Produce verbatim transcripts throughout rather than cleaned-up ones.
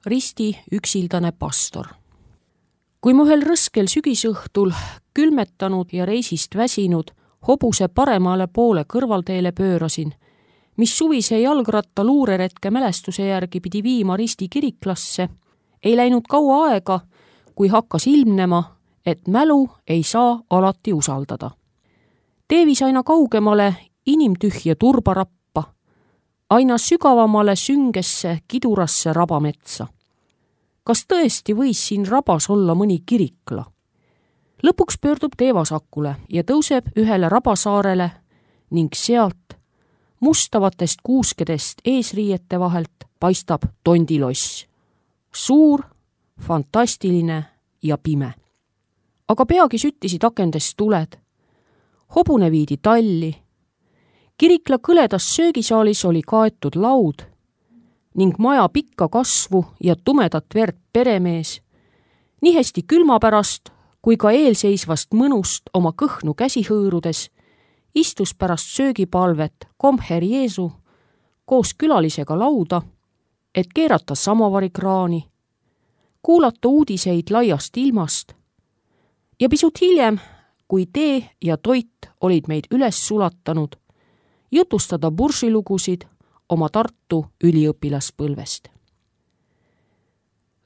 Risti üksildane pastor. Kui ma ühel rõskel sügisõhtul külmetanud ja reisist väsinud hobuse paremale poole kõrvalteele pöörasin, mis suvise jalgratta luureretke mälestuse järgi pidi viima Risti kiriklasse, ei läinud kaua aega, kui hakkas ilmnema, et mälu ei saa alati usaldada. Teevis aina kaugemale inimtühje turbarappa, aina sügavamale süngesse kidurasse rabametsa. Kas tõesti võis siin rabas olla mõni kirikla? Lõpuks pöördub tee vasakule ja tõuseb ühele rabasaarele ning sealt mustavatest kuuskedest eesriiete vahelt paistab tondiloss. Suur, fantastiline ja pime. Aga peagi süttisid akendest tuled. Hobune viidi talli. Kirikla kõledas söögisaalis oli kaetud laud ning maja pikka kasvu ja tumedat verd peremees, nii hästi külma pärast kui ka eelseisvast mõnust oma kõhnu käsi hõõrudes, istus pärast söögipalvet komher Jeesu koos külalisega lauda, et keerata samovarikraani, kuulata uudiseid laiast ilmast ja pisut hiljem, kui tee ja toit olid meid üles sulatanud, jutustada bursilugusid oma Tartu üliõpilaspõlvest.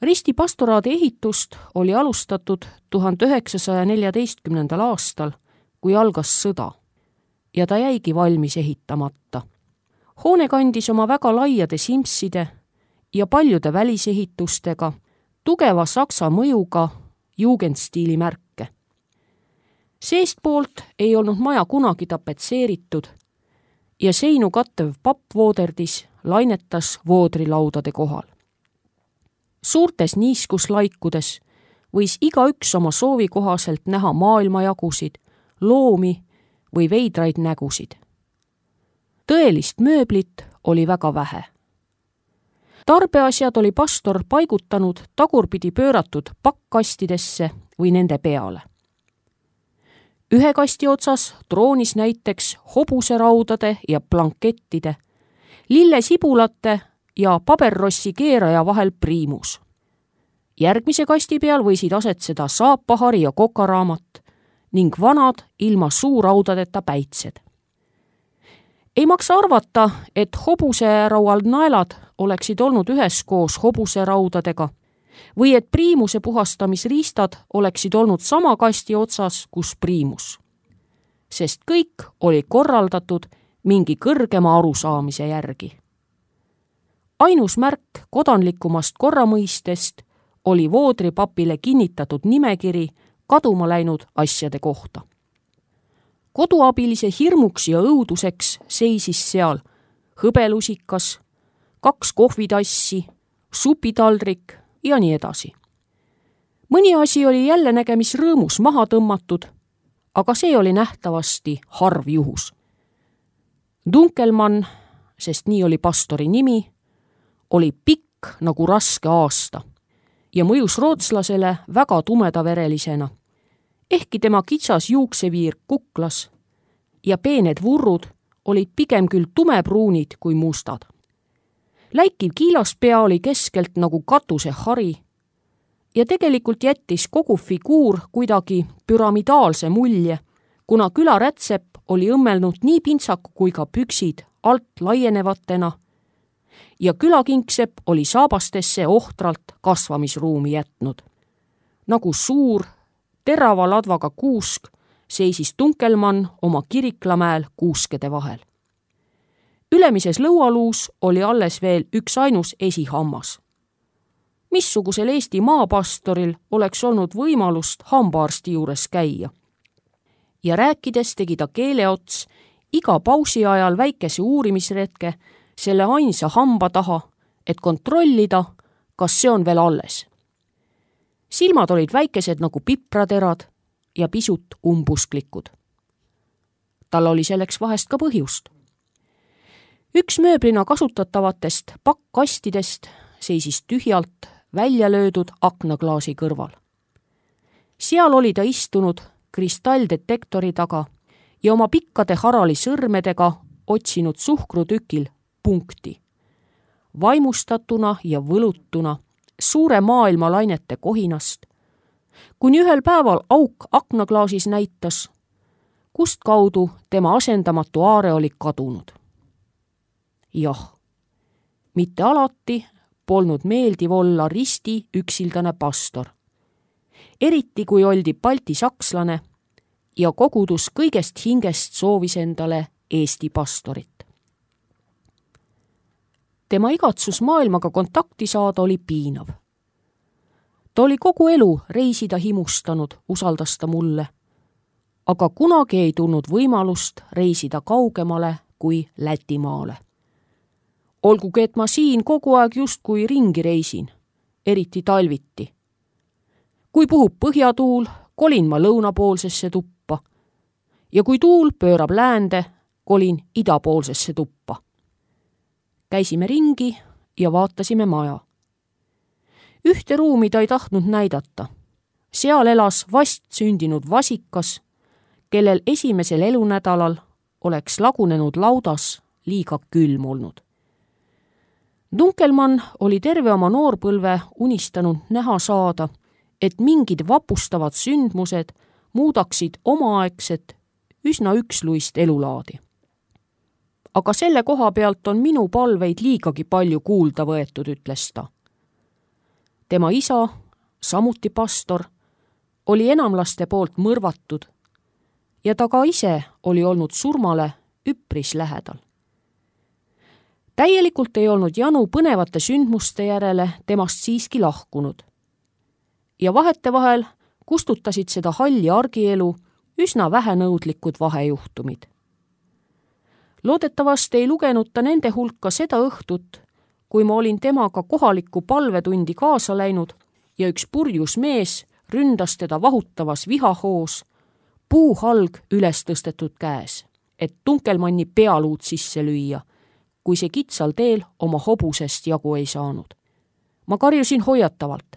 Risti pastoraadi ehitust oli alustatud tuhande üheksasaja neljateistkümnendal aastal, kui algas sõda, ja ta jäigi valmis ehitamata. Hoone kandis oma väga laiade simside ja paljude välisehitustega, tugeva saksa mõjuga jugendstiili märke. Seestpoolt ei olnud maja kunagi tapetseeritud ja seinu kattev pappvooderdis lainetas voodrilaudade kohal. Suurtes niiskuslaikudes võis igaüks oma soovi kohaselt näha maailmajagusid, loomi või veidraid nägusid. Tõelist mööblit oli väga vähe. Tarbeasjad oli pastor paigutanud tagurpidi pööratud pakkastidesse või nende peale. Ühe kasti otsas troonis näiteks hobuseraudade ja blankettide, lillesibulate ja paberrossi keeraja vahel priimus. Järgmise kasti peal võisid asetseda saapahari ja kokaraamat ning vanad ilma suuraudadeta päitsed. Ei maksa arvata, et hobuseraual naelad oleksid olnud üheskoos hobuseraudadega või et priimuse puhastamisriistad oleksid olnud sama kasti otsas, kus priimus. Sest kõik oli korraldatud mingi kõrgema arusaamise järgi. Ainus märk kodanlikumast korramõistest oli voodripapile kinnitatud nimekiri kaduma läinud asjade kohta. Koduabilise hirmuks ja õuduseks seisis seal hõbelusikas, kaks kohvitassi, supitaldrik ja nii edasi. Mõni asi oli jälle nägemisrõõmus maha tõmmatud, aga see oli nähtavasti harv juhus. Dunkelmann, sest nii oli pastori nimi, oli pikk nagu raske aasta ja mõjus rootslasele väga tumedaverelisena, ehkki tema kitsas juukseviir kuklas ja peened vurrud olid pigem küll tumepruunid kui mustad. Läikiv kiilaspea oli keskelt nagu katusehari ja tegelikult jättis kogu figuur kuidagi püramidaalse mulje, kuna külarätsepp oli õmmelnud nii pintsaku kui ka püksid alt laienevatena ja külakinksepp oli saabastesse ohtralt kasvamisruumi jätnud. Nagu suur, terava ladvaga kuusk seisis Dunkelmann oma Kiriklamäel kuuskede vahel. Ülemises lõualuus oli alles veel üks ainus esihammas. Missugusel Eesti maapastoril oleks olnud võimalust hambaarsti juures käia? Ja rääkides tegi ta keeleots iga pausi ajal väikese uurimisretke selle ainsa hamba taha, et kontrollida, kas see on veel alles. Silmad olid väikesed nagu pipraterad ja pisut umbusklikud. Tal oli selleks vahest ka põhjust. Üks mööblina kasutatavatest pakkastidest seisis tühjalt välja löödud aknaklaasi kõrval. Seal oli ta istunud kristalldetektori taga ja oma pikkade harali sõrmedega otsinud suhkrutükil punkti. Vaimustatuna ja võlutuna suure maailma lainete kohinast, kuni ühel päeval auk aknaklaasis näitas, kust kaudu tema asendamatu aare oli kadunud. Jah, mitte alati polnud meeldiv olla risti üksildane pastor, eriti kui oldi balti sakslane ja kogudus kõigest hingest soovis endale Eesti pastorit. Tema igatsus maailmaga kontakti saada oli piinav. Ta oli kogu elu reisida himustanud, usaldas ta mulle, aga kunagi ei tulnud võimalust reisida kaugemale kui Lätimaale. Olgugi, et ma siin kogu aeg justkui ringi reisin, eriti talviti. Kui puhub põhjatuul, kolin ma lõunapoolsesse tuppa ja kui tuul pöörab läände, kolin idapoolsesse tuppa. Käisime ringi ja vaatasime maja. Ühte ruumi ta ei tahtnud näidata. Seal elas vast sündinud vasikas, kellel esimesel elunädalal oleks lagunenud laudas liiga külm olnud. Dunkelmann oli terve oma noorpõlve unistanud näha saada, et mingid vapustavad sündmused muudaksid omaaegset üsna üksluist elulaadi. Aga selle koha pealt on minu palveid liigagi palju kuulda võetud, ütles ta. Tema isa, samuti pastor, oli enamlaste poolt mõrvatud ja ta ka ise oli olnud surmale üpris lähedal. Täielikult ei olnud janu põnevate sündmuste järele temast siiski lahkunud ja vahetevahel kustutasid seda halli argielu üsna vähenõudlikud vahejuhtumid. Loodetavasti ei lugenud ta nende hulka seda õhtut, kui ma olin temaga kohalikku palvetundi kaasa läinud ja üks purjus mees ründas teda vahutavas vihahoos, puuhalg üles tõstetud käes, et Dunkelmanni pealuud sisse lüüa, kui see kitsal teel oma hobusest jagu ei saanud. Ma karjusin hoiatavalt,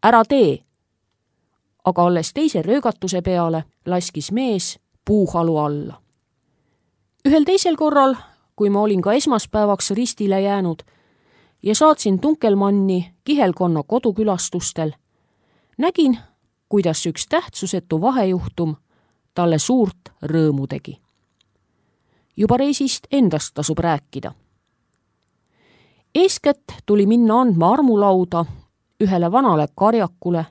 ära tee, aga alles teise röögatuse peale laskis mees puuhalu alla. Ühel teisel korral, kui ma olin ka esmaspäevaks ristile jäänud ja saatsin Dunkelmanni kihelkonna kodukülastustel, nägin, kuidas üks tähtsusetu vahejuhtum talle suurt rõõmu tegi. Juba reisist endast tasub rääkida. Eeskätt tuli minna andma armulauda ühele vanale karjakule,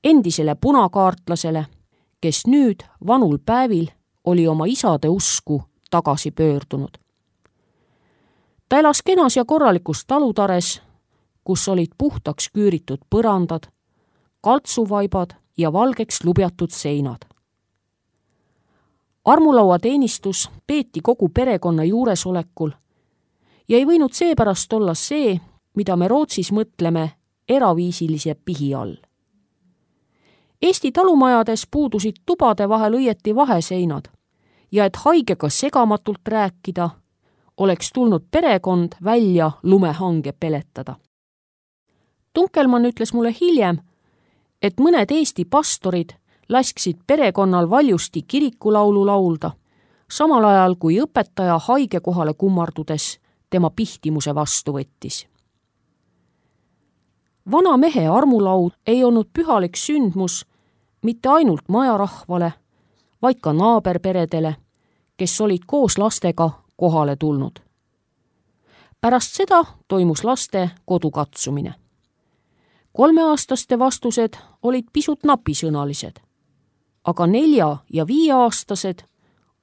endisele punakaartlasele, kes nüüd vanul päevil oli oma isade usku tagasi pöördunud. Ta elas kenas ja korralikus talutares, kus olid puhtaks küüritud põrandad, kaltsuvaibad ja valgeks lubjatud seinad. Armulaua teenistus peeti kogu perekonna juuresolekul ja ei võinud seepärast olla see, mida me Rootsis mõtleme eraviisilise pihi all. Eesti talumajades puudusid tubade vahel õieti vaheseinad ja et haigega segamatult rääkida, oleks tulnud perekond välja lumehange peletada. Dunkelmann ütles mulle hiljem, et mõned Eesti pastorid lasksid perekonnal valjusti kirikulaulu laulda, samal ajal kui õpetaja haige kohale kummardudes tema pihtimuse vastu võttis. Vana mehe armulaud ei olnud pühalik sündmus mitte ainult majarahvale, vaid ka naaberperedele, kes olid koos lastega kohale tulnud. Pärast seda toimus laste kodukatsumine. Kolmeaastaste vastused olid pisut napisõnalised, aga nelja- ja viieaastased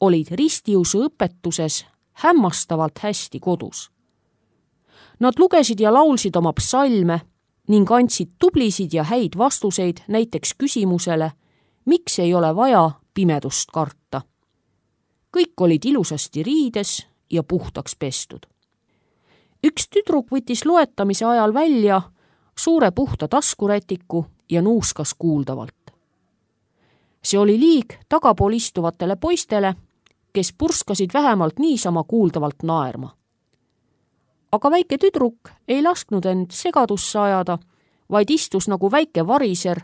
olid ristiusu õpetuses hämmastavalt hästi kodus. Nad lugesid ja laulsid oma psalme ning andsid tublisid ja häid vastuseid näiteks küsimusele, miks ei ole vaja pimedust karta. Kõik olid ilusasti riides ja puhtaks pestud. Üks tüdruk võttis loetamise ajal välja suure puhta taskurätiku ja nuuskas kuuldavalt. See oli liig tagapool istuvatele poistele, kes purskasid vähemalt niisama kuuldavalt naerma. Aga väike tüdruk ei lasknud end segadusse ajada, vaid istus nagu väike variser,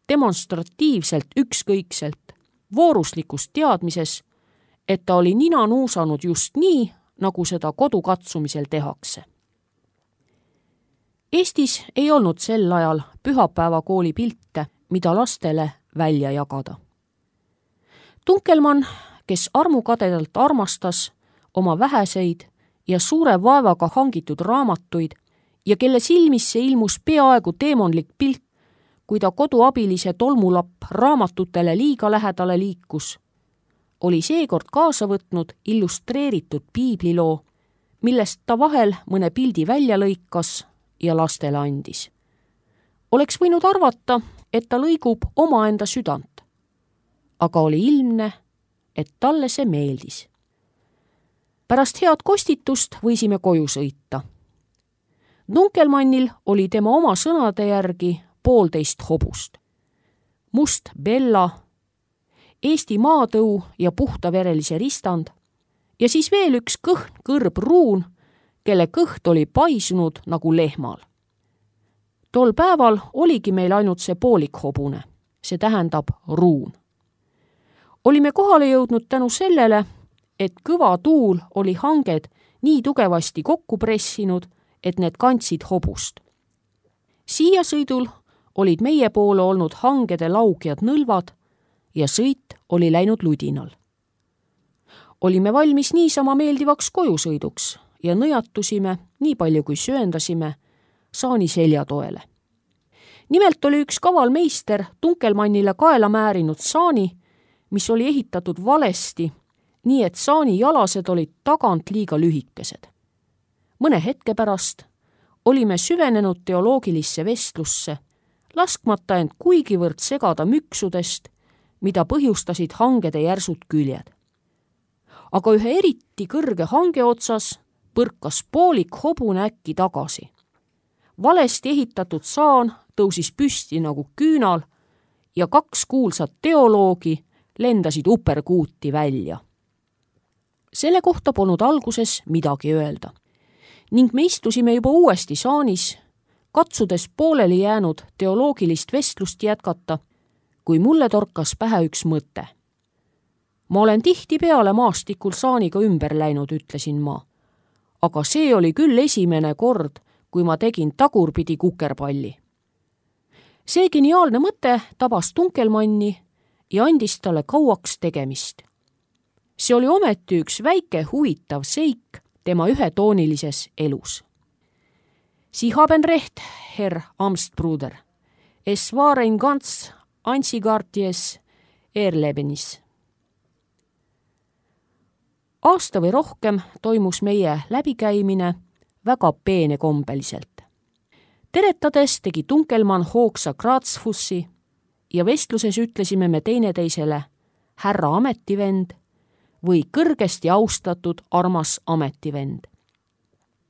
demonstratiivselt ükskõikselt, vooruslikus teadmises, et ta oli nina nuusanud just nii, nagu seda kodukatsumisel tehakse. Eestis ei olnud sel ajal pühapäevakooli pilte, mida lastele välja jagada. Tunkelmann, kes armukadedalt armastas oma väheseid ja suure vaevaga hangitud raamatuid ja kelle silmisse ilmus peaaegu teemonlik pilt, kui ta koduabilise tolmulapp raamatutele liiga lähedale liikus, oli seekord kaasa võtnud illustreeritud piibliloo, millest ta vahel mõne pildi välja lõikas ja lastele andis. Oleks võinud arvata, et ta lõigub omaenda südant, aga oli ilmne, et talle see meeldis. Pärast head kostitust võisime koju sõita. Tunkelmannil oli tema oma sõnade järgi poolteist hobust. Must Bella, Eesti maatõu ja puhtaverelise ristand ja siis veel üks kõhn kõrb ruun, kelle kõht oli paisunud nagu lehmal. Tol päeval oligi meil ainult see poolik hobune, see tähendab ruun. Olime kohale jõudnud tänu sellele, et kõva tuul oli hanged nii tugevasti kokku pressinud, et need kandsid hobust. Siia sõidul olid meie poole olnud hangede laugjad nõlvad ja sõit oli läinud ludinal. Olime valmis niisama meeldivaks kojusõiduks ja nõjatusime, nii palju kui sööndasime, saani seljatoele. Nimelt oli üks kaval meister Tunkelmannile kaela määrinud saani, mis oli ehitatud valesti, nii et saani jalased olid tagant liiga lühikesed. Mõne hetke pärast olime süvenenud teoloogilisse vestlusse, laskmata end kuigivõrd segada müksudest, mida põhjustasid hangede järsud küljed. Aga ühe eriti kõrge hange otsas põrkas poolik hobune äkki tagasi. Valesti ehitatud saan tõusis püsti nagu küünal ja kaks kuulsat teoloogi lendasid uperkuuti välja. Selle kohta polnud alguses midagi öelda ning me istusime juba uuesti saanis, katsudes pooleli jäänud teoloogilist vestlust jätkata, kui mulle torkas pähe üks mõte. Ma olen tihti peale maastikul saaniga ümber läinud, ütlesin ma. Aga see oli küll esimene kord, kui ma tegin tagurpidi kukerpalli. See geniaalne mõte tabas Tunkelmanni ja andis talle kauaks tegemist. See oli ometi üks väike huvitav seik tema ühetoonilises elus. Sie haben recht, Herr Amstbruder. Es war ein ganz einzigartiges Erlebnis. Aasta või rohkem toimus meie läbikäimine väga peenekombeliselt. Teretades tegi Tunkelmann hoogsa Grazfussi ja vestluses ütlesime me teineteisele härra ametivend või kõrgesti austatud armas ametivend.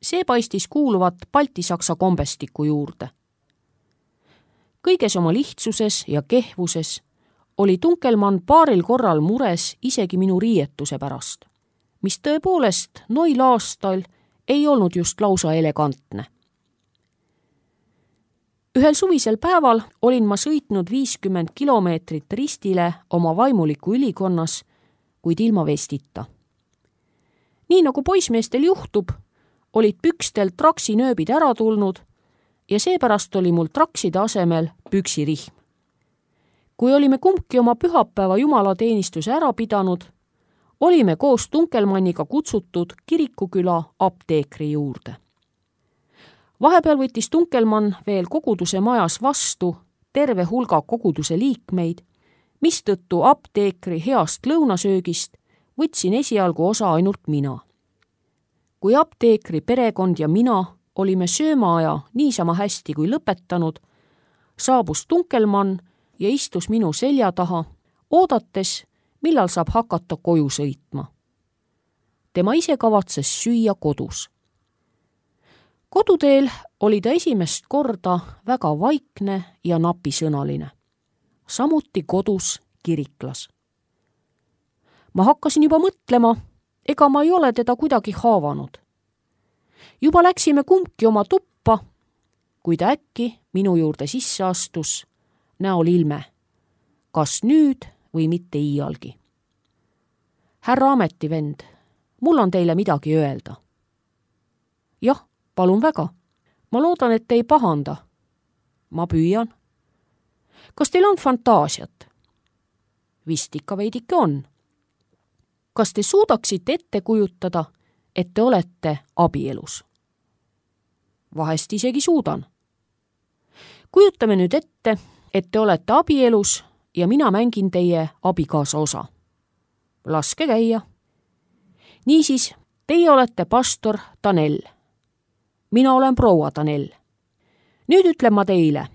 See paistis kuuluvat baltisaksa kombestiku juurde. Kõiges oma lihtsuses ja kehvuses oli Tunkelmann paaril korral mures isegi minu riietuse pärast, mis tõepoolest noil aastal ei olnud just lausa elegantne. Ühel suvisel päeval olin ma sõitnud viiskümmend kilomeetrit ristile oma vaimuliku ülikonnas, kuid ilma vestita. Nii nagu poismeestel juhtub, olid pükstel traksinööbid ära tulnud ja seepärast oli mul trakside asemel püksirihm. Kui olime kumbki oma pühapäeva jumalateenistuse ära pidanud, olime koos Tunkelmanniga kutsutud kirikuküla apteekri juurde. Vahepeal võttis Tunkelmann veel koguduse majas vastu terve hulga koguduse liikmeid, mistõttu apteekri heast lõunasöögist võtsin esialgu osa ainult mina. Kui apteekri perekond ja mina olime söömaaja niisama hästi kui lõpetanud, saabus Tunkelmann ja istus minu selja taha, oodates, millal saab hakata koju sõitma. Tema ise kavatses süüa kodus. Koduteel oli ta esimest korda väga vaikne ja napisõnaline. Samuti kodus kiriklas. Ma hakkasin juba mõtlema, ega ma ei ole teda kuidagi haavanud. Juba läksime kumbki oma tuppa, kui ta äkki minu juurde sisse astus, näol ilme, kas nüüd või mitte iialgi. Härra ametivend, mul on teile midagi öelda. Jah, palun väga. ma loodan, et te ei pahanda. Ma püüan. Kas teil on fantaasiat? Vist ikka veidike on. Kas te suudaksite ette kujutada, et te olete abielus? Vahest isegi suudan. Kujutame nüüd ette, et te olete abielus ja mina mängin teie abikaasa osa. Laske käia. Niisiis, teie olete pastor Tanel. Mina olen proua Tanel. Nüüd ütlen ma teile.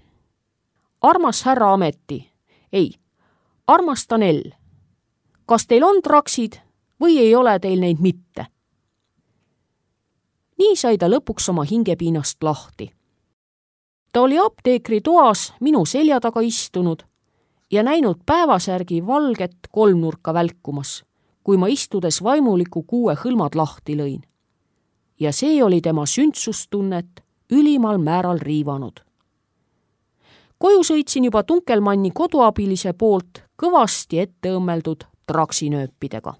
Armas härra Ameti. Ei, armas Tanel. Kas teil on traksid või ei ole teil neid mitte? Nii sai ta lõpuks oma hingepiinast lahti. Ta oli apteekri toas minu selja taga istunud ja näinud päevasärgi valget kolmnurka välkumas, kui ma istudes vaimuliku kuue hõlmad lahti lõin. Ja see oli tema sündsustunnet ülimal määral riivanud. Koju sõitsin juba Tunkelmanni koduabilise poolt kõvasti ette õmmeldud traksinööpidega.